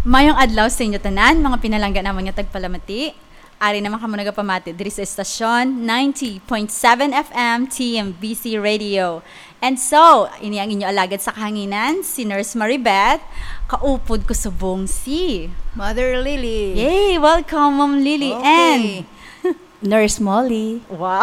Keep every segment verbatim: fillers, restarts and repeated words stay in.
Mayong adlaw sa inyo tanan, mga pinalangga namon nga tagpalamati. Ari naman kamo nagapamati diri sa estasyon, ninety point seven F M T M B C Radio. And so, ini ang inyo alagad sa kahanginan, si Nurse Maribeth, kaupod ko subong si Mother Lily. Yay! Welcome, Ma'am Lily. Okay. And Nurse Molly. Wow.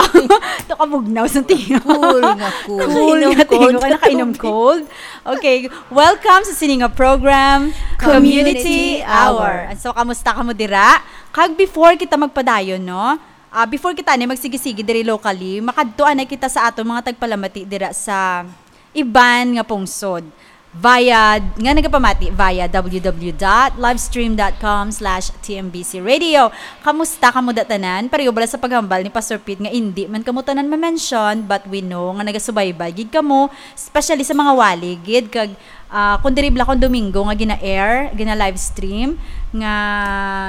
Ito kabugnaw sa tingog. Cool nga cool. Cool nga tingog. Nakainom cold. Okay. Welcome sa sini nga program, Community Community Hour. Hour. And so, kamusta kamo dira? Kag before kita magpadayon, no? Ah, before kita ni magsigi-sigi diri locally, makadto anay kita sa aton mga tagpalamati dira sa iban nga pungsod via, nga nagapamati via w w w dot livestream dot com slash t m b c radio. Kamusta kamo da tanan? Pareho bala sa paghambal ni Pastor Pete nga indi man kamo tanan ma-mention, but we know nga nagasubaybay gid kamo, especially sa mga wali gid, kag, ah, kung diri bala kung Domingo nga gina-air, gina-livestream, nga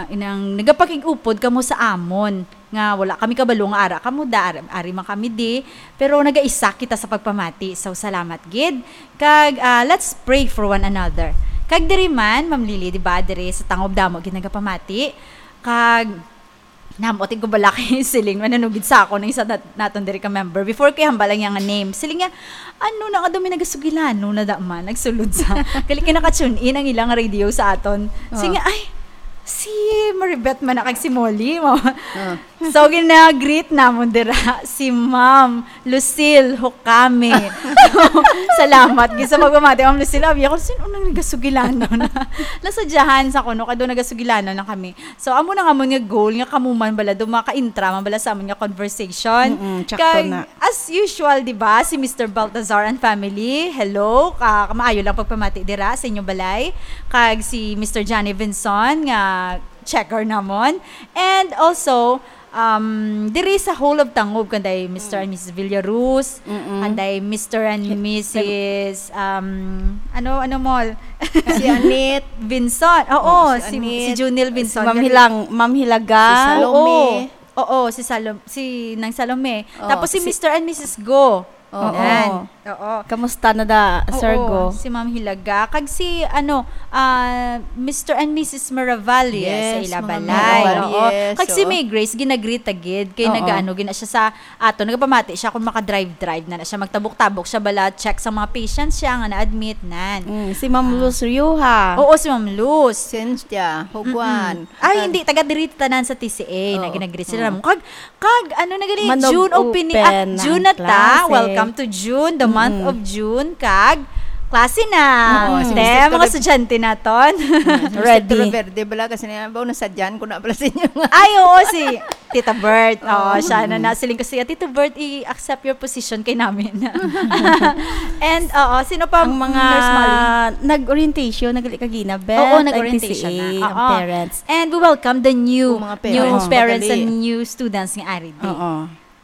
inang nagapakig-upod kamo sa amon, nga wala kami kabalo nga ara kamo da, ari, ari man kami di, pero nagaisa kita sa pagpamati. So, salamat gid. Kag, ah, let's pray for one another. Kag diri man, Ma'am Lily, di ba, diri sa Tangob Damo gid nagapamati. Kag, namot ko bala kay siling, mananugid sa ako ng isa nat-, naton diri ka member. Before ko ihambal ang iyang name, siling niya, "Ano na nga daw may nagasugilano na da man, nagsulod sa." Gali kay naka-tune in ang ilang radio sa aton. Siling Oh. niya, "Ay, si Maribeth man na kag si Molly." Mo. Oh. So, gina-greet namon dira si Ma'am Lucille Hukame. Salamat gid sa pagpamati, Ma'am Lucille. Abi ako, "Sino nang nagasugilanon?" Nasadyahan sa kuno, kado nagasugilanon na kami. So, amo na nga amon nga goal nga kamo man bala, do maka-intra man bala sa amon nga conversation. Mm-mm, tsakto Kag, na. As usual, di ba, si Mister Baltazar and family, hello, ka, kamaayo lang pagpamati dira sa inyong balay. Kag si Mister Johnny Vinson, nga checker namon. And also, um, diri sa Hall of Tangob, kanday Mister Mm. and Missus Villaruz, Mm-mm. kanday Mister and Hi-, Missus, um, ano, ano mall? Si Anit. Vinson. Oo, Oo, si si, Anit. si Junil Si Vinson. Ma'am Hilang-, Ma'am Hilaga. Si Salome. Oo. Oo, si Salom-, si Nang Salome. Oo, Tapos si si Mister and Missus Go. Oo. Yan. Oo. Kamusta na da, Sir Oo, Go? si Ma'am Hilaga. Kag si, ano, ah, Mister and Missus Miravalle Yes, sa ila mga balay. Miravalle, Oo. Kag si oo. May Grace, ginagreet ta gid. Kay Oo. nagaano, gina siya sa ato, nagapamati siya kung maka-drive-drive na na siya. Magtabok-tabok siya bala, check sa mga patients siya nga na-admit, nan. Mm, si Ma'am Ah. Luz Rioja. Oo, si Ma'am Luz. Cynthia Huguan. Mm-mm. Ay, Taga hindi. Taga diri tanan sa T C A na Oo. ginagreet sila Oo. namon. Kag, kag, ano na gali, Manog June opening, ah, open ang June na ta. klase. Welcome to June, the month Mm-mm. of June. Kag, klase na. Oo, si Te, Mister mga Torre- estudyante naton. Mm, si Mister Ready. Torre Verde bala kasi na, ba, nasadyan ko na pala sa inyo nga. Ay, oo, si Tita Bert. Oo, Oo. siya na Mm-mm. nasiling ko siya, "Tita Bert, i-accept your position kay namin." And, oo, sino pa, Ang mga Nurse Molly? nag-orientation, nagali kagina, Beth, Oo, ang nag-orientation T C A, na. ang Oo. parents. And we welcome the new, Yung mga new parents. Oo. parents and Madali. new students nga ari di. Oo.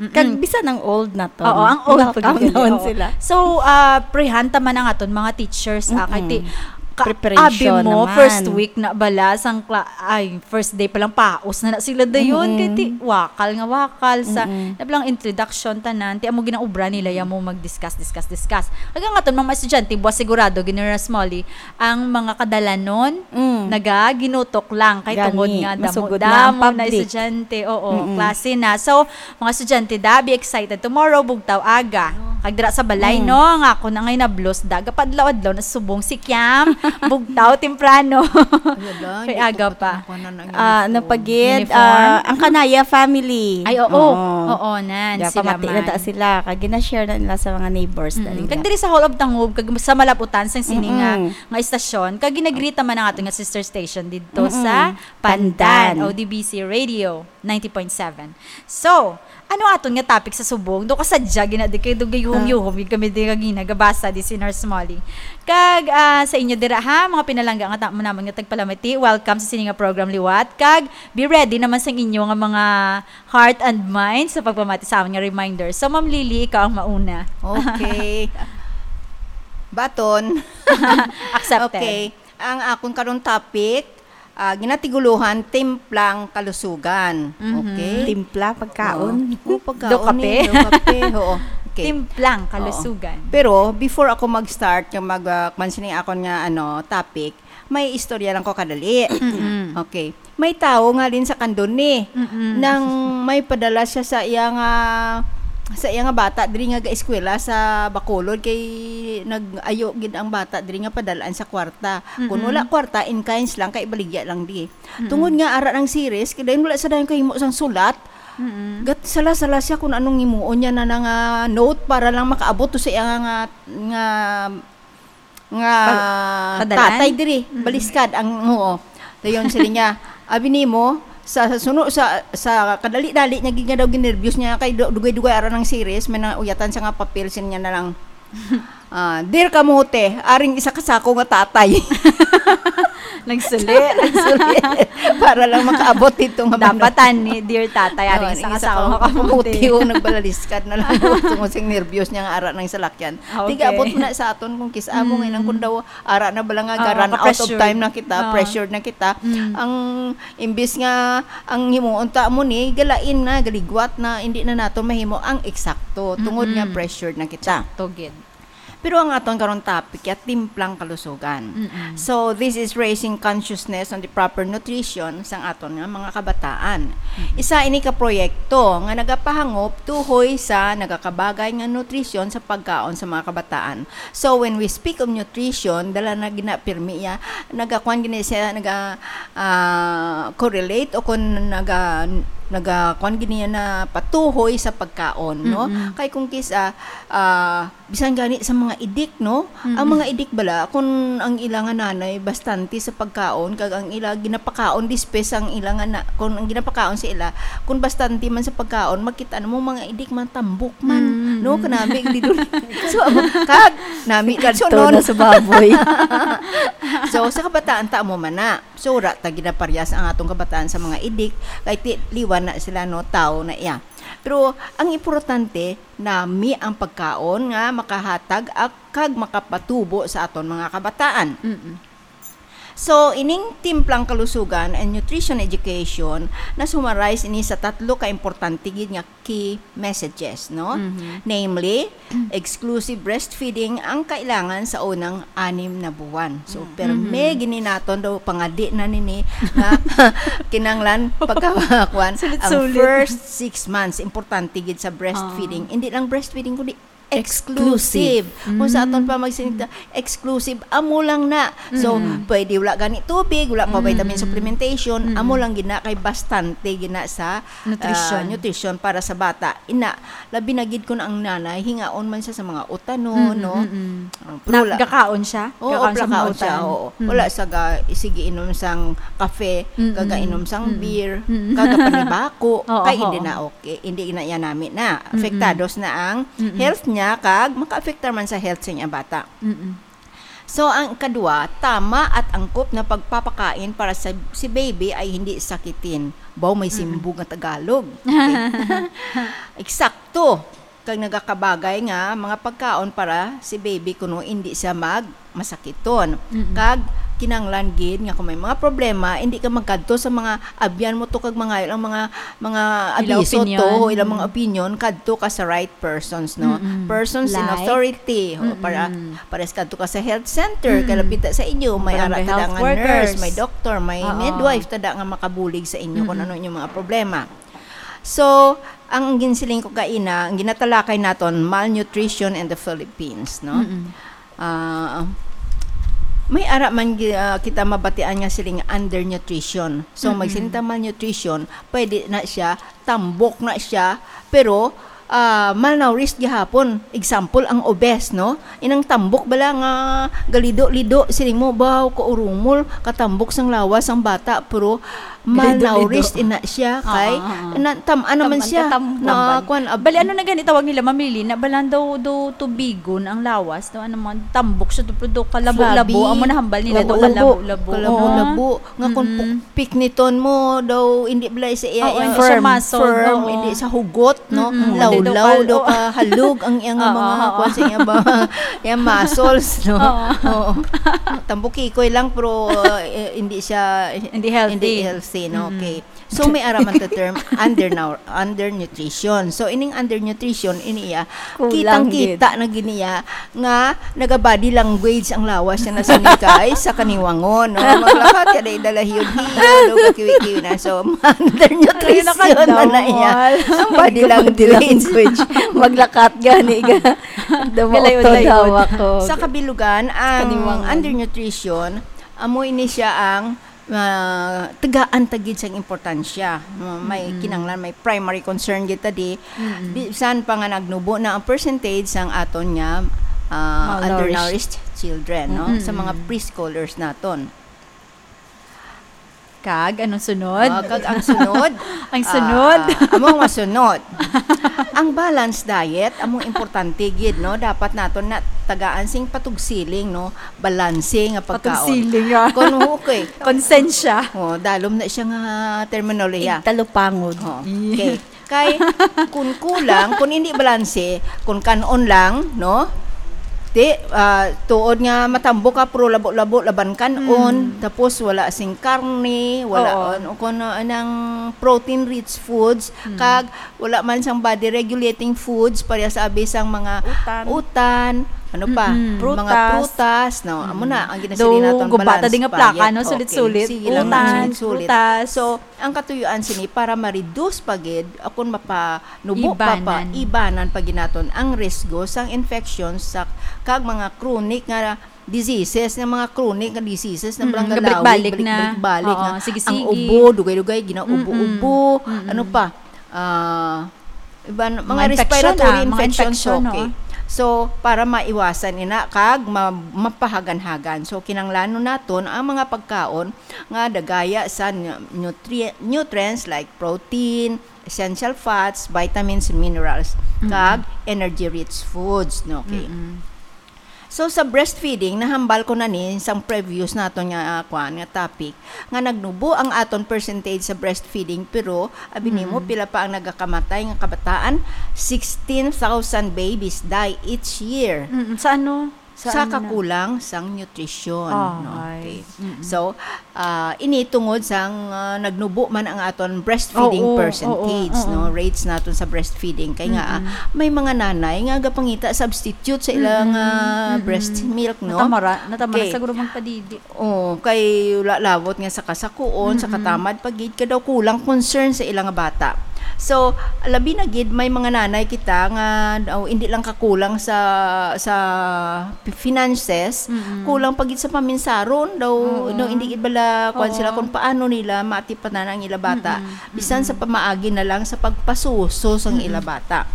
Mm-mm. Kag bisan ang old na to, Oo, ang old pa welcome gid, naman oo. sila. So, ah, prehan ta man ang aton mga teachers, ah, kay ti-, Mm-mm. ka-, Preparation abi mo, naman. first week na bala, sang kla-, ay, first day pa lang, paos na na sila dayon. Mm-mm. Kay ti-, wakal nga wakal sa, Mm-mm. na lang introduction, tanan, ti amo ginaobra nila, ya mo mag-discuss, discuss, discuss. Kag ang aton mga estudyante, buwas sigurado, General Smalley, ang mga kadalanon, Mm. naga, ginutok lang, kay Gani, tungod nga, damo, masugod na ang damo na public. estudyante, oo, Mm-mm. klase na. So, mga estudyante da, be excited tomorrow, bugtaw aga. Kag dira sa balay, Mm. no, nga ako na ngay nablos da, gapadlaw-adlaw na subong si Kiam, bugtaw temprano. Ay, ala, Kay hindi aga ko pa. katungkuan ang Ah, uniform. napagid, Uniform? ah, ang Kanaya family. Ay, oo. Oo. Oo, nan, Kaya sila pamati na man. ta sila. Kag gina-share na nila sa mga neighbors na Mm. nila. Kag diri sa Hall of Tangob, kag sa malaputan sang sini nga, Mm-mm. nga estasyon, kag ginagrita man ang ato nga sister station didto Mm-mm. sa Pandan, Pandan. O D B C Radio ninety point seven. So, ano aton nga topic sa subong? Do kasadya gina di kay do gayuhom-yuhom gid kami di nga ginagabasa di si Nurse Molly. Kag, ah, sa inyo dira ha, mga pinalangga nga ta-, namon nga tagpalamati, welcome sa sini nga program liwat. Kag be ready naman sang inyo nga mga heart and mind sa pagpamati sa amon nga reminder. So, Ma'am Lily, ikaw ang mauna. Okay. Baton. Accepted. Okay. Ang akon karon topic, ah, ginatiguluhan, timplang kalusugan. Mhm. Okay? Timpla, pagkaon. Oo. Oh, pagkaon Do kape? eh. Do kape, oo. Okay. Timplang Oo. kalusugan. Pero before ako mag-start nga mag, ah, kwan sini akon nga, ano, topic, May istorya lang ko kadali. Mm-mm. Okay. May tawo nga din sa Candoni Mm-mm. nang may padala siya sa iya nga sa iya nga bata diri nga gaeskwela sa Bacolod, kay nag-ayo gid ang bata diri nga padalaan sa kwarta. Kung Mm-mm. wala kwarta, in kinds lang, kay ibaligya lang di. Mm-mm. Tungod nga ara nang series, kay dayon wala sa dayon kahimo sang sulat. Mm-mm. Gat sala-sala siya kung anong himuon niya na, na nga note para lang makaabot to sa iya nga, nga nga Pa- padalaan? tatay diri, Mm. baliskad ang, oo. Dayon sila niya, abi nimo, sa, sa suno sa sa kadali-dali niya gid nga daw ginerbyos niya kay du- dugay-dugay ara nang series, may nauyatan sa nga papel, sin niya na lang. Ah, dear kamote, aring isa ka sako nga tatay. Nagsuli. Sorry. Para lang makaabot dito nga Dapat manok. Ani, dear tatay, Oo, aring ang isa ka isa sako ka nga kamote. kamote, oh, nagbalaliskad na lang. Tungod sing nervyos niya nga ara nang salakyan. Ah, okay. Tiga abot na sa aton kung kis-a mo, Mm. ngayon kung daw ara na bala nga Oo, ga-run out of ka-pressured. Time na kita, Oo. pressured na kita. Mm. Ang imbis nga ang himuon ta mo ni galain na, galigwat na, hindi na nato mahimo ang eksakto tungod nga Mm-mm. pressured na kita. To gid. Pero ang aton karon topic ya timplang kalusugan. Mm-mm. So this is raising consciousness on the proper nutrition sang aton nga mga kabataan. Isa ini ka proyekto nga nagapahangop tuhoy sa nagakabagay nga nutrisyon sa pagkaon sa mga kabataan. So when we speak of nutrition, dala na ginapirmi ya, nagakuan gini siya, naga ah, correlate o kung naga nagakuan gini na patuhoy sa pagkaon, no? Mm-mm. Kay kung kis-a ah, bisan gani sa mga idik, no? Ang Mm. mga idik bala, kung ang ila nga nanay bastante sa pagkaon, kag ang ila ginapakaon dispes ang ila nga na, kung ang ginapakaon sa ila, kung bastante man sa pagkaon, makita na mo mga idik man tambok man, Mm. no? Kanami di dun. So, kag nami Kadto sunod. Na sa baboy. So, sa kabataan ta mo man na. So, ra ta ginaparyas ang atong kabataan sa mga idik, kay ti liwan na sila, no, tawo na iya. Pero ang importante, nami ang pagkaon nga makahatag ak- kag makapatubo sa aton mga kabataan. Mm-mm. So, ining timplang kalusugan and nutrition education, na-summarize ini sa tatlo ka importante gid nga key messages, no? Mhm. Namely, exclusive breastfeeding ang kailangan sa unang anim na buwan. So, Mm. perme gini naton daw pangadi na nini nga kinanglan pagkakuan ang Sulit-sulit. First six months, importante gid sa breastfeeding. Hindi lang breastfeeding, kundi exclusive. Kung sa aton pa magsinita, exclusive, amo lang na. So, Mm. pwede wala gani tubig, wala pa vitamin Mm. supplementation, Mm. amo lang gina kay bastante gina sa Nutrition. ah, nutrition para sa bata. Ina, labi na gid kun ang nanay hingaon man siya sa mga utanon, Mm, no? mm, mm. Ah, pero wala- Nagakaon siya? Oo, Gakaon sa mga plakaon siya, utan? Oo. Mm. Wala sa ga, sige inom sang kafe, Mm, kaga mm. Inom sang Mm. beer, Mm. kaga panibaku, Oo, kay hindi oo. na okay, hindi na iya nami na. Mm, mm. Afektados na ang Mm, mm. Health niya kag makaapektar man sa health sa iyang bata. Mm-mm. So, ang kadua, tama at angkop na pagpapakain para sa si baby ay hindi sakitin. Baw may Mm-mm. simbog nga Tagalog. Okay. Eksakto. Kag nagakabagay nga mga pagkaon para si baby kuno hindi siya mag masakiton. Mm-mm. Kag kinahanglan gid nga kung may mga problema, hindi ka magkadto sa mga abyan mo to kag mga ilang mga mga Ilang abiso to, opinion. Ilang mga opinion, kadto ka sa right persons, no? Mm-mm. Persons in Like? authority. O, para Mm-mm. pares kadto ka sa health center, kay Mm-mm. lapita sa inyo, may Barangay ara tada health nga workers. Nurse, may doctor, may Oo. midwife tada nga makabuli sa inyo kung Mm-mm. Ano inyong mga problema. So, ang ginsiling ko kaina, ang ginatalakay naton, malnutrition in the Philippines, no? Mm-mm. Ah, may ara man gi- ah, kita mabatian nga siling undernutrition. So, Mm-mm. Magsiling ta malnutrition, pwede na siya, tambok na siya, pero ah, malnourished gihapon. Example, ang obese, no? Inang tambok bala nga galido-lido, siling mo, baw, kaurumol, katambok sang lawas ang bata, pero malnourished ina siya kay Oo, oo. na, tam-an naman Tam-an siya. ka, tam-, Na tambal. Kuan, ab- Bali, ano na gani tawag nila, Mamili? Na balan daw, daw tubigon ang lawas, daw ano man, tambok sa tuplo, daw kalabo-labo, Flabby. Amo na hambal nila, daw Labo-labo. kalabo-labo. Kalabo-labo. Oo. Nga kung Mm-mm. pukpik niton mo, daw hindi bala sa iya, Oo, iya, hindi siya firm, muscle, firm, oo. Hindi sa hugot, no? Mm-mm. Lawas. Ulaw daw ka halog ang iyang mga kuwan sa iya ba, iyang muscles, no? Oo. Tambukikoy lang, pero, uh, eh, hindi siya, hindi healthy. Hindi healthy, no? Mm. Okay. So, may araman ta term, undernou-, undernutrition. So, ining undernutrition, ini iya, kitang-kita na gid niya nga naga-body language ang lawas niya na sinikay sa kaniwangon, no? Maglakat ka na idalahiyod-hiyod, o kakiwi-kiwi na. So, undernutrition na na iya. Ang body language. Maglakat gani ka. Galayo-layo. Sa kabilugan, ang undernutrition, amo ini siya ang ah, tagaan ta gid sang importansya. Ma-, may kinahanglan, may primary concern gid ta di. Bisan pa nga nagnubo na ang percentage sang aton nga, ah, undernourished children, no? Sa mga preschoolers naton. Kag anong sunod? Ah, kag ang sunod, ang sunod, ah, amo ang masunod. Ang balanced diet, amo importante gid, no? Dapat naton na tagaan sing patugsiling, no? Balanse nga pagkaon. Patugsiling, ah. Kung, okay. Konsensya. Oh, dalom na siya nga terminolohiya. Igtalupangod. Oh, okay. Kay, kung kulang, kung hindi balanse, kung kanon lang, no? Ti, ah, tuod nga matambo ka, pero labo-labo laban kanon, tapos wala sing karne, wala, ano, kung, ah, nang protein-rich foods, kag wala man sang body-regulating foods, pareha sa abi sang mga utan, ano pa? Mga prutas, no? Amo na ang ginasiling naton, balance diet. Daw guba ta di nga plaka, no? Sulit-sulit. Sige lang, sulit-sulit. Utan, prutas. So, ang katuyuan sini para ma-reduce pa gid, akon mapanubo pa, ibanan pa gid naton ang risgo sang infections sa, kag mga chronic nga diseases, nga mga chronic nga diseases na, mm, nga balik-balik na. Balik-balik na. Oo, sige-sige. Ang ubo, dugay-dugay, ginaubo-ubo. Mm-mm. Ano pa? Ah, iban, mga respiratory infections, okay. So, para maiwasan ina kag ma-, mapahaganhagan. So, kinahanglanon naton ang mga pagkaon nga dagaya sa nu-, nutri-, nutrients like protein, essential fats, vitamins, minerals, kag energy-rich foods, no? Okay. Mm-mm. So, sa breastfeeding, nahambal ko na ni sang previous naton nga, ah, kwan, nga topic, nga nagnubo ang aton percentage sa breastfeeding, pero abi nimo, mm, pila pa ang nagakamatay nga kabataan? Sixteen thousand babies die each year. Mm, sa ano? Sa ano na? Sa kakulang sang nutrisyon, no? Okay. Mm-mm. So, ah, ini tungod sang, ah, nagnubo man ang aton breastfeeding percentage, no? Oo, oo, oo. Rates naton sa breastfeeding. Kay nga, ah, mm-mm, may mga nanay nga gapangita substitute sa ilang, mm-mm, ah, mm-mm, breast milk, no? Natamara-, natamara, okay, siguro magpadidi. Oh, kay wala labot nga sa kasakuon, sa, mm-mm, katamad pa gid, kay daw kulang concern sa ila nga bata. So, labi na gid may mga nanay kita nga, oh, hindi lang kakulang sa, sa finances, mm-mm, kulang pa gid sa paminsaron daw, oo, no, hindi gid bala kuwan sila, oo, kung paano nila maatipanan ang ila bata. Mm-mm. Bisan sa, mm-mm, pamaagi na lang sa pagpasuso sang, mm-mm, ila bata.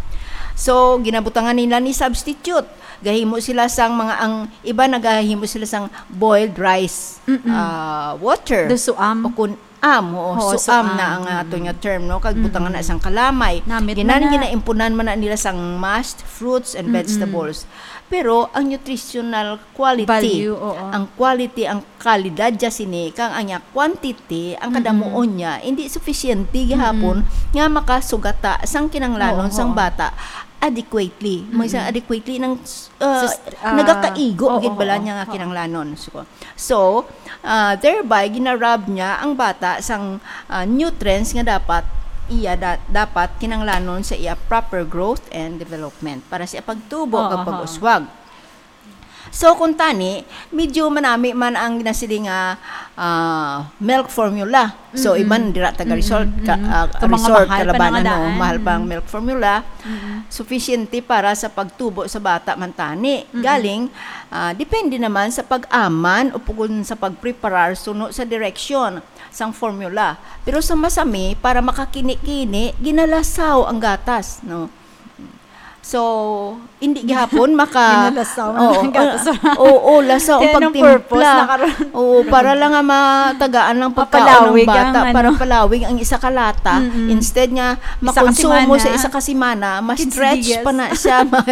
So, ginabutangan nila ni substitute. Gahimo sila sang mga, ang iba nagahimo sila sang boiled rice, mm-mm, ah, water. Daw suam. O kun-, am, oo, oo, suam, suam na ang, mm-mm, aton nga term, no? Kag butangan na, mm-mm, sang kalamay. Namit man na. Ginan-, ginaimpunan man na nila sang mashed fruits and, mm-mm, vegetables. Pero ang nutritional quality, value, oo, ang quality, ang kalidad dya sini, kang ang iya quantity, ang, mm-mm, kadamuon niya, hindi sufisyente gihapon, mm-mm, nga makasugata sang kinahanglanon, oo, sang, oo, bata adequately. May sa, mm-mm, adequately nang, uh, sus-, ah, nagakaigo, oo, gid bala, oo, niya nga, oo, kinahanglanon. So, so, ah, thereby, ginarab niya ang bata sang, ah, nutrients nga dapat iya da-, dapat kinahanglanon sa iya proper growth and development, para sa iya pagtubo, oo, kag, oo, pag-uswag. So, kung tani, medyo manami man ang ginasiling nga, ah, milk formula. So, mm-mm, iban dira taga, mm-mm, resort ka, mm-mm, ah, so, mga resort, mahal pa kalabanan, na nga daan, no? Mahal pa ang, mm-mm, milk formula. Mm-mm. Sufisyente para sa pagtubo sa bata man tani. Mm-mm. Galing, ah, depende naman sa pag-aman o pugon sa pagpreparar suno sa direksyon sang formula. Pero sa masami, para makakini-kini, ginalasaw ang gatas, no? So, hindi gihapon maka- Ginalasaw na Oo, ang gatas. Oo, lasaw ang pagtimpla. Kaya anong purpose na karon? Oo, para lang nga matagaan ng pagkaon ng bata, ang, ano, para palawig ang isa ka lata. Mm-mm. Instead nga makonsumo sa isa ka semana, ma-stretch pa na siya, ma-,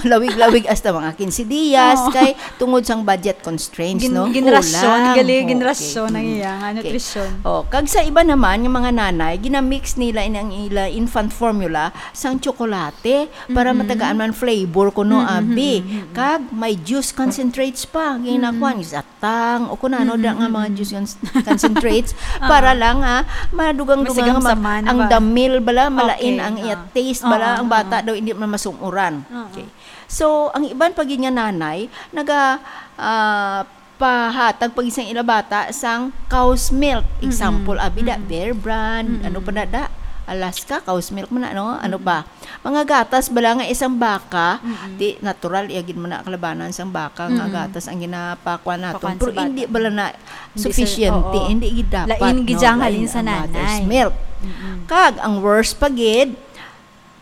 malawig-lawig hasta mga quince dias, kay tungod sang budget constraints, no? Gin-, ginrasyon, gali, ginrasyon ang iya nga nutrisyon. Oh, kag sa iba naman, yung mga nanay, ginamix nila in ang ila infant formula sang tsokolate para matagaan man flavor kuno, abi. Kag may juice concentrates pa, ginakuan, satang, o kung ano da nga mga juice cons-, concentrates, para lang, ah, madugang-dugang ang damil bala, malain ang iya taste bala, ang bata daw hindi man masum-uran. Okay. So, ang iban pa gid nga nanay, naga, ah, pahatag pa gid sang ila bata sang cow's milk. Example, abi da, Bear Brand, ano pa na da? Alaska, cow's milk man na, no? Ano pa? Mga gatas bala nga isang baka, di natural, iya gid man na kalabanan sang baka nga gatas ang ginapakuan naton. Pero hindi bala na sufficient, hindi gid dapat, lain gid no? Ang halin sa nanay. Mother's milk. Kag, ang worst pa gid,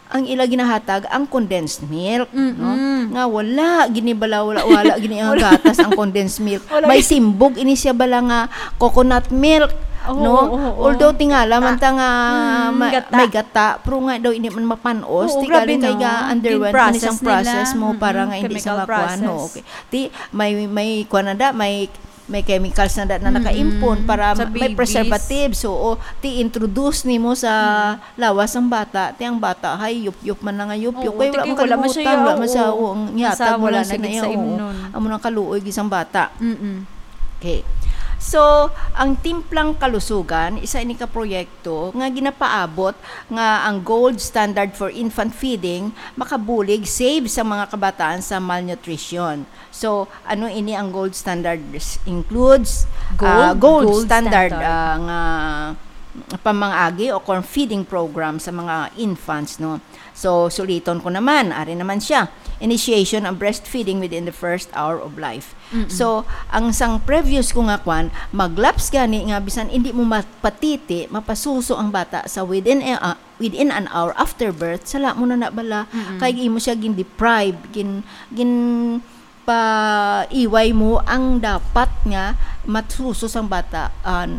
ang ila ginahatag ang condensed milk, no? Nga wala gini bala, wala, wala gini ang gatas ang condensed milk. May simbog ini siya bala nga coconut milk, no? Although tingala man ta nga may gata, pero nga daw hindi man mapanos, di galing kay ga-underwent man isang process mo para nga hindi sa makuan, no? Okay. Di, may, may kuan na da, may may chemicals na, na nakaimpon para may preservatives. So, o, ti-introduce nimo sa lawas sang bata, ti ang bata, hay, yup-yup man na nga yup-yup. Kay wala man siya, wala man siya, o, ang yata mo lang sa iya, o, amo nang kaluoy gid sang bata. Okay. So, ang Timplang Kalusugan, isa ini ka proyekto nga ginapaabot nga ang gold standard for infant feeding makabulig save sa mga kabataan sa malnutrition. So, ano ini ang gold standard? Includes, ah, gold standard, ah, nga pamangagi o kon feeding program sa mga infants, no? So, suliton ko naman, ari naman siya. Initiation of breastfeeding within the first hour of life. So, ang sang previous ko nga kwan, maglaps gani nga bisan hindi mo mapatiti, mapasuso ang bata sa within a, ah, within an hour after birth, sala mo na na bala, kay imo siya gin-deprive, gin-, gin-, paiway mo ang dapat nga masuso sang bata. Ah,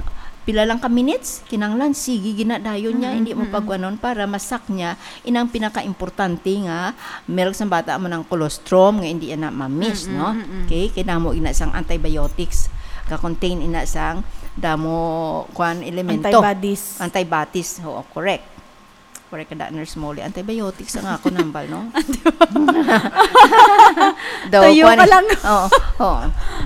pila lang ka minutes, kinahanglan, sige, ginadayon niya, hindi mo pagkuanon para masak niya inang pinakaimportante nga milk sang bata, amo nang colostrum nga hindi na ma-miss, no? Okay, kay damo ina sang antibiotics, ka-contain ina sang damo, kwan, elemento. Antibodies. Antibodies, oo, correct. Correct ka da, Nurse Molly. Antibiotics ang ako nambal, no? Daw, Tuyo kwan, pa lang. Oo, oo.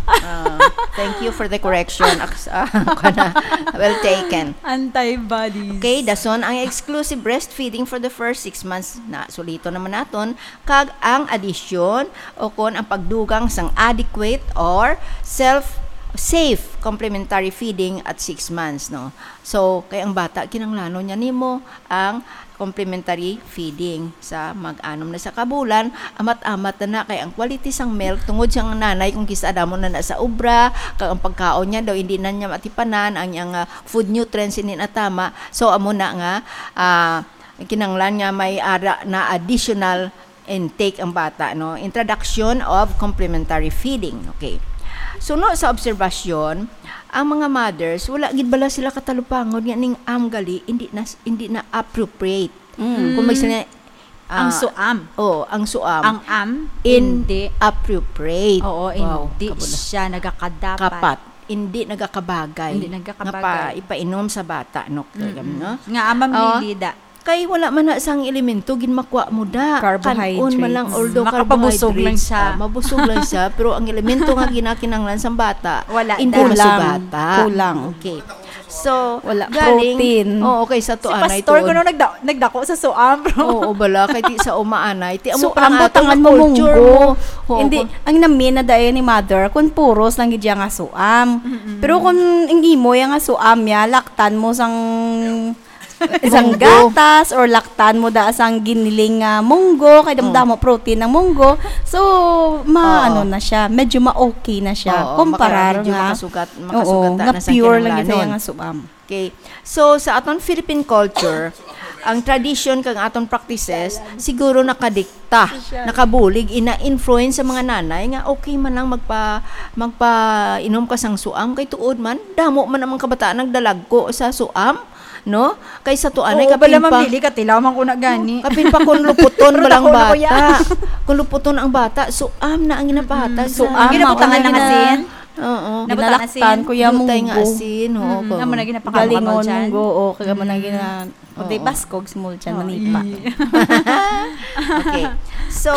Ah, thank you for the correction. Aks-, ah, kwan na. Well taken. Antibodies. Okay, dason ang exclusive breastfeeding for the first six months na sulito naman naton, kag ang addition o kon ang pagdugang sang adequate or self safe complementary feeding at six months, no? So, kay ang bata, kinanglanon niya nimo ang complementary feeding sa mag-anom na sa kabulan, amat-amat na na kay ang quality sang milk tungod siyang nanay kung kisa damo na na sa obra, kag ang pagkaon niya daw hindi na niya matipanan, ang iyang, ah, food nutrients hindi na tama. So, amo na nga, ah, kinanglan nga may ara na additional intake ang bata, no? Introduction of complementary feeding. Okay. Suno sa obserbasyon, ang mga mothers, wala gid bala sila katalupangon nga ning am gali, hindi na, hindi na appropriate. Mm. Kung may sina-, Ang ah, suam. Oh, ang suam. Ang am, hindi. Inappropriate. Oo, wow, hindi siya nagakadapat. Kapat. Hindi nagakabagay. Hindi nagakabagay. Nga pa, ipainom sa bata, no? Mm-mm. Talaga, no? Nga amam, oh, lilida. Kay wala man na sang elemento ginmakwa mo da. Carbohydrates. Kan-on man lang, although makapabusog lang siya. Carbohydrates, ah, mabusog lang siya, pero ang elemento nga ginakinahanglan sang bata, wala, hindi masugata. Kulang. Kulang. Okay. So, wala galing, protein. Oo, okay, sa tuanay. Si pastor kuno nagda-, nagdako sa suam, bro. Oo, bala, kay ti sa umaanay, ti amo pa ang butangan mo, culture munggo. Oo. Hindi, ang nami na daya ni mother, kung puros lang gid nga suam. Mm-mm. Pero kung ang imo ya nga suam ya, laktan mo sang sang gatas or laktan mo da sang giniling nga munggo, kay damo-damo protein ang munggo. So, ma-, ano na siya, medyo ma-okay na siya. Oo, kumparar medyo nga, masugat, oo, makasugat na nga sa pure lang gid kinahanglanon. Nga suam. Okay. So, sa aton Philippine culture, ang tradition kag aton practices, siguro nakadikta, nakabulig, ina-influence sa mga nanay nga okay man lang magpa-, magpainom ka sang suam, kay tuod man, damo man ang mga kabataan nagdalagko sa suam, no? Kay sa tuanay, Oo, kapin bala, pa, Ma'am Lily, katilaw man ko na gani. Kapin pa kung luputon Pero balang dako na ko ya. bata. Kung luputon ang bata, suam na ang ginapahatag Mm-mm. sa Suam, Ginabutangan mao na ng gina-, asin? Oo. Nabutangan Ginalaktan asin? ko ya Dutay nga munggo. asin, oo, Mm-mm. ko. Amo na ginapakamot Galingon dyan? munggo, o, kaya mo na Mm. gina-, O, di Oo. baskog, small chan, Oo. manipa. Mm. Okay. So,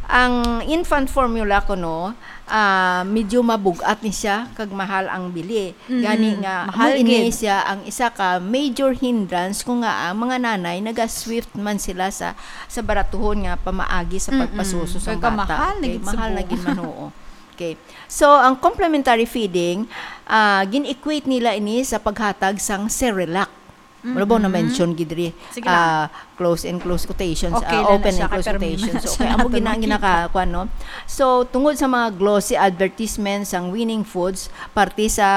ang infant formula ko, no, ah, medyo mabugat ni siya, kag mahal ang bili. Mm-mm. Gani nga, Mahal amo ini gid. siya ang isa ka major hindrance kung nga ang mga nanay naga-swift man sila sa, sa baratuhon nga pamaagi sa Mm-mm. pagpasuso sang Kay bata. kamahal na Okay, gid sa mahal na buo. gid man, oo. Okay. So, ang complementary feeding, ah, gin-equate nila ini sa paghatag sang Cerelac. Wala ba Mm-mm. na-mention gid diri? Sige lang. Ah, close and close quotations, Okay ah, lang na open siya, and kay close permi man quotations. na So, siya kaya amo nato gina-, nakita. ginakakuan, no? So, tungod sa mga glossy advertisements sang Winning Foods, parte sa,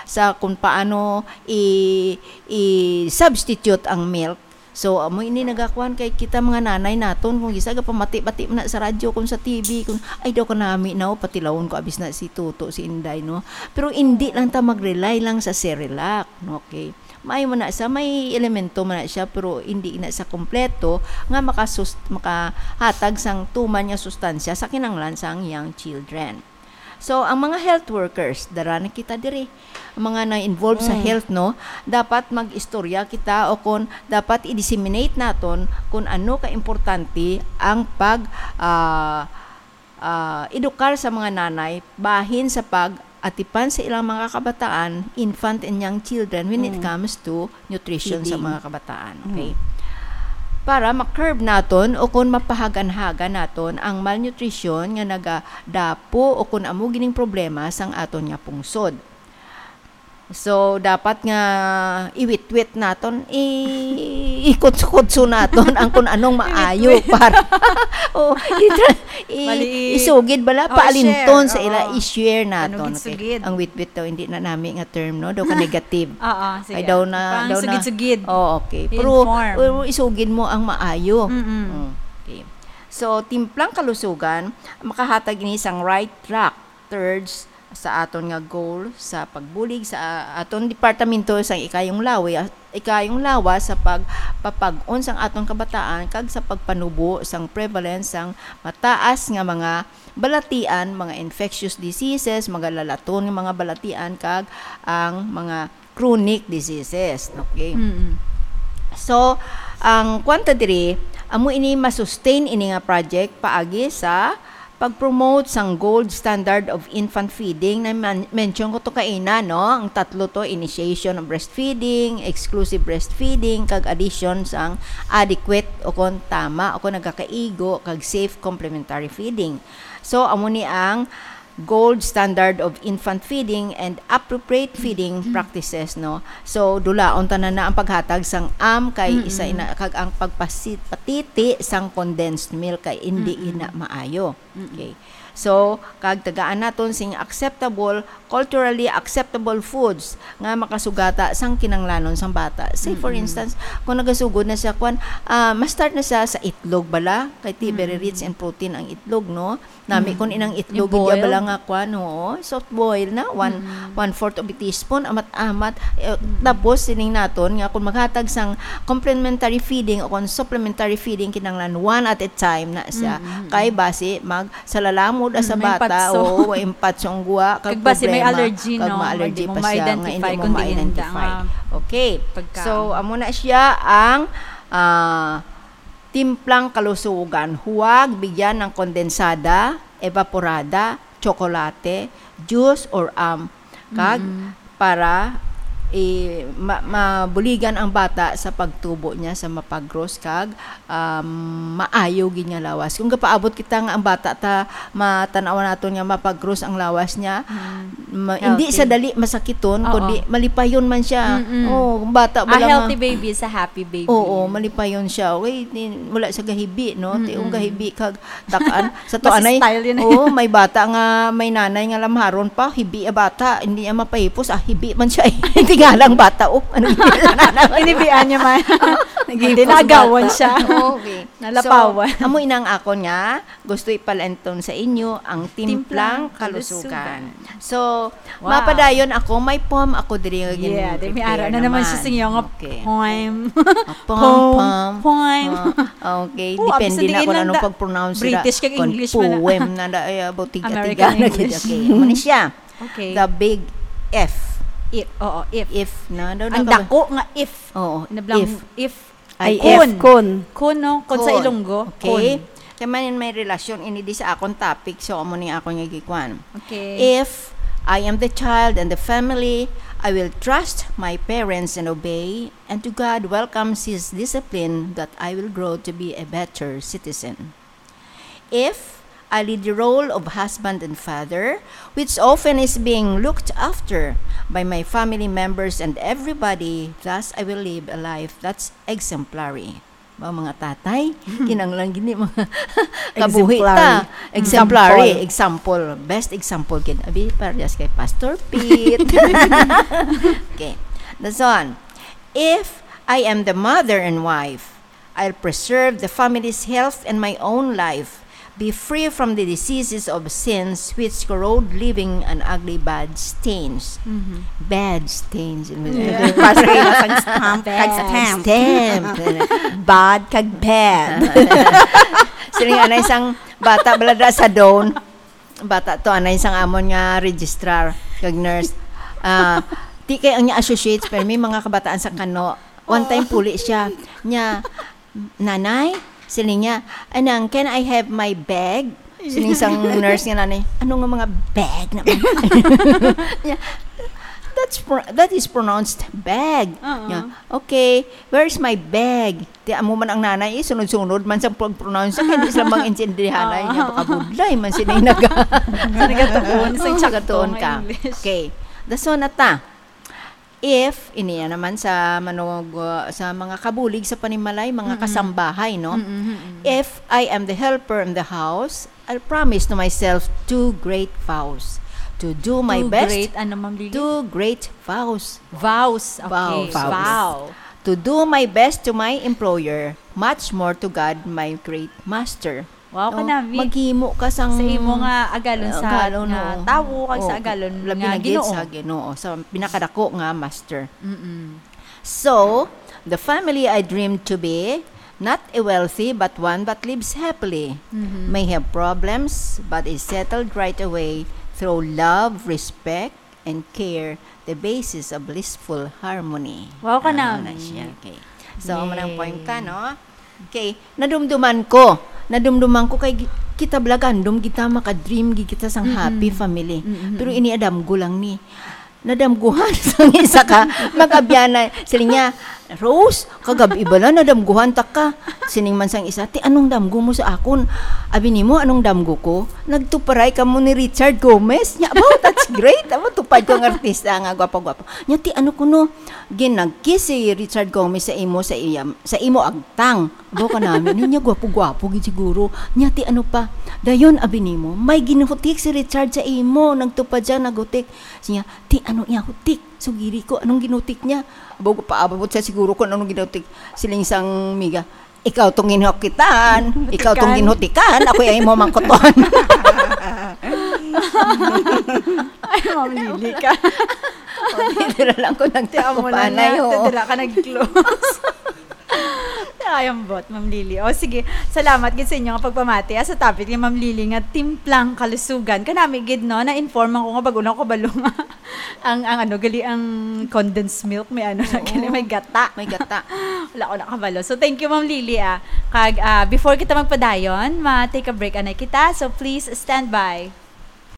sa kung paano i-, i-substitute ang milk. So, amo ini nagakuan kay kita mga nanay naton, kung isa gapamati-bati man na sa radyo, kung sa T V, kung, "Ay, daw kanami na, oh, patilawon ko, abis na si Toto, si Inday," no? Pero hindi lang ta mag-rely lang sa Cerelac, no? Okay. Maayo man na siya, may elemento man na siya, pero hindi na siya kompleto nga makasus-, makahatag sang tuman nga sustansya sa kinahanglan sang young children. So, ang mga health workers, dara na kita diri. Ang mga na-involve sa Mm. health, no, dapat mag-istorya kita o kung dapat i-disseminate naton kung ano ka importante ang pag, ah, ah, edukar sa mga nanay bahin sa pag-atipan sa ilang mga kabataan, infant and young children, when it Mm. comes to nutrition sa Feeding. mga kabataan. Mm. Okay? Para ma-curb naton o kung mapahaganhagan naton ang malnutrition nga nagadapo o kung amo gining problema sang aton nga pungsod. So, dapat nga iwitwit naton, i-, ikutso-kutso naton ang kung anong maayo Iwitwit. para, oh, itra-, i-, Bali, i-, isugid bala, oh, paalinton share. sa ila, Oo. i-share Ano naton. gid Okay. sugid? Ang witwit daw, hindi na nami nga term, no? Daw ka negative. Oo, sige. Ay, daw na, Parang daw na. sugid-sugid. Oh, okay. Pero, Inform. pero isugid mo ang maayo. Mm-mm. Mm, okay. So, Timplang Kalusugan, makahatag ini sang right track towards sa aton nga goal sa pagbulig sa aton departamento sang ikayong lawi-, ikayong lawas sa pagpapag-on sang aton kabataan kag sa pagpanubo sang prevalence sang mataas nga mga balatian, mga infectious diseases, mga lalaton nga mga balatian, kag ang mga chronic diseases. Okay. Mm-mm. So, ang kwanta diri, amo ini ma-sustain ini nga project paagi sa pag-promote sang gold standard of infant feeding na man-, mention ko to kaina, no? Ang tatlo to, initiation of breastfeeding, exclusive breastfeeding, kag addition sang adequate o kon tama o kon nagakaigo kag safe complementary feeding. So, amo ni ang gold standard of infant feeding and appropriate feeding practices, no? So, dulaon tanan na ang paghatag sang am kay isa Mm-mm. ina, kag ang pagpasi-, patiti sang condensed milk kay hindi Mm-mm. ina maayo. Mm-mm. Okay. So, kag tagaan naton sing acceptable, culturally acceptable foods nga makasugata sang kinanglanon sang bata. Say, for Mm-mm. instance, kung nagasugod na siya, kwan, ah, ma-start na siya sa itlog bala, kay ti very Mm-mm. rich in protein ang itlog, no? Nami Mm. kun inang itlog, I-boil? iya bala nga kwan, oo, soft boil na, one, Mm. one-fourth of a teaspoon, amat-amat. Eh, Mm. tapos, sining naton nga kung maghatag sang complementary feeding o kung supplementary feeding, kinahanglan one at a time na siya. Mm, mm, Kay mm. basi, mag, sa lalamod Mm, sa may bata, patso. oo, may patso ang guwa, kag Kag basi may problema, allergy, kag no? ma-allergy Hindi mo pa siya, nga ma-identify hindi mo kung diin ma-identify. nga Okay. pagkaon. So, amo na siya ang, ah, Timplang Kalusugan, huwag bigyan ng kondensada, evaporada, tsokolate, juice, or, um, kag Mm-mm. para, eh, ma-, mabuligan ang bata sa pagtubo niya sa mapagros kag, um, maayo gid nga lawas. Kung gapaabot kita nga ang bata ta matan-aw naton nga mapagros ang lawas niya, Mm. ma-, hindi Healthy. sa dali masakiton, Oo. kundi malipayon man siya. Mm-mm. Oh, ang bata A bala nga healthy baby is a happy baby. Oo, malipayon siya. Uy, ni-, wala siya gahibi, no? Ti, Mm-mm. ang gahibi kag takan. Sa to Basta anay, style yun. oo, may bata nga, may nanay nga lamharon pa, hibi a bata, hindi niya mapahipos, ah, hibi man siya, eh. Hindi Galang bata, oh. Ano yun? Inibian niya man. Naging Hindi, nagawan bata. siya. Okay. Nalapawan. So, amo ina ang akon nga, gusto ipalanton sa inyo ang Timplang timplang kalusugan. kalusugan. So, Wow. mapadayon ako, may poem ako diri nga Yeah, gin-, di may prepare ara na naman siya naman. sa inyo nga Okay. poem. Ah, poem, Poem, poem. poem. Ah, okay. Oh, Depende absent na din kung lang anong da-, pag-pronounce nila. British kag Kung English man na. poem na da-, ay, about tiga-tiga American na gid. English. Okay. Amo ni siya. Okay. The big F. If, oo, if. If na, daw Ang na ka ba? dako nga if. Oo, Nablang if. if. Ay, Kun. if, kun. Kun, no? Kun sa Kun. Ilonggo. Okay. Kun. Kaya man in may relasyon, ini di sa akon topic, so amo ni akon nga gikuan. Okay. If I am the child and the family, I will trust my parents and obey, and to God welcomes his discipline that I will grow to be a better citizen. If I lead the role of husband and father, which often is being looked after by my family members and everybody, thus I will live a life that's exemplary. Ba, mga tatay, kinahanglan gini mga kabuhi Exemplary. ta. Exemplary, Example. example, best example gid. Abi, parehas kay Pastor Pete. Okay. That's on. If I am the mother and wife, I'll preserve the family's health and my own life, be free from the diseases of sins which corrode living and ugly bad stains. Mhm. Bad stains. Yeah. Pass kayo sa stamp, kag Bad. stamp. Stamp. Bad kag bad. Siling anay sang bata bala da sa dawn. Bata to, anay sang amon nga registrar, kag nurse. Ah, ti kay ang niya associates, pero may mga kabataan sa Kano. One time puli siya. Niya, "Nanay," siling niya, "Anang, can I have my bag?" Siling sang nurse nga nanay, "Ano nga mga bag naman?" Niya, "That's pro-, that is pronounced bag." Oo. Niya, "Okay, where is my bag?" Ti amo man ang nanay, eh, sunod-sunod man sa pag-pronounce, kaya di sila maintindihan, ay, niya, baka budlay man sila yung naga-, Sa nagatuon, sa Oo, nagatuon ka. English. Okay. Dason na ta. If, iniya naman sa manog-, uh, sa mga kabulig sa panimalay, mga Mm-mm. kasambahay, no? Mm-mm, mm-mm. If I am the helper in the house, I'll promise to myself two great vows. To do my Two best. great, ano, Ma'am Lily? Two great vows. Vows. Okay. Vows. Vows. Vow. To do my best to my employer, much more to God, my great master. Wow, No? kanami. Maghimo ka sang Sa imo nga agalon Ah, sa agalon, nga oo. tawo, kag sa Oo, agalon labi nga na gid Ginoo. sa Ginoo, sa pinakadako nga master. Mm-mm. So, the family I dream to be, not a wealthy, but one that lives happily, Mm-hmm. may have problems, but is settled right away through love, respect, and care, the basis of blissful harmony. Wow, Ah, kanami. na siya. Okay. So, amo nang Yay. point ka, no? Okay, nadumduman ko. Nadumduman ko kay gi-, kita bala gandom kita, maka-dream gid kita sang Mm-mm. happy family. Mm-mm. Pero ini adamgo lang ni. Nadamguhan sang isa ka mag-abyanan. Siling niya, "Rose, kagab-i bala nadamguhan ta ka." Siling man sang isa, "Ti, anong damgo mo sa akon?" Abi nimo, "Anong damgo ko? Nagtuparay kamo ni Richard Gomez." Nya, "Wow, that's great. Amo, tupad ko ang artista nga gwapa-gwapa." Nya, "Ti, ano kuno? Ginag-kiss si Richard Gomez sa imo, sa iya, sa imo agtang." Abo ka namin, niya gwapo-gwapo gid siguro. Nya, ti ano pa? Dayon, abi nimo, may ginuhutik si Richard sa imo. Nagtupad siya, naghutik. Siya, "Ti ano iya hutik? Sugiri ko, anong ginutik niya?" Abo, paabot siya siguro kung anong ginutik. Siling sang miga, "Ikaw tong ginhukitan, ikaw tong Hutikan. ginhutikan, ako ay imo mangkuton." Ay, Ma'am Lily ka. O, dito na lang ko Ti amo na nagtakupanay, niya, oo. ti dira ka nag-close. Ay, ambot, Ma'am Lily. O, sige. Salamat gid sa inyo nga pagpamati, ah, sa topic ni Ma'am Lily nga timplang kalusugan. Kanami gid, no, na-inform ako nga bag-o na ko kabalo nga ang, ang ano, gali ang condensed milk, may ano na, Oo. gali may gata. May gata. Wala ko nakabalo. So, thank you, Ma'am Lily, ah. Kag, ah, before kita magpadayon, ma-take a break anay kita. So, please stand by.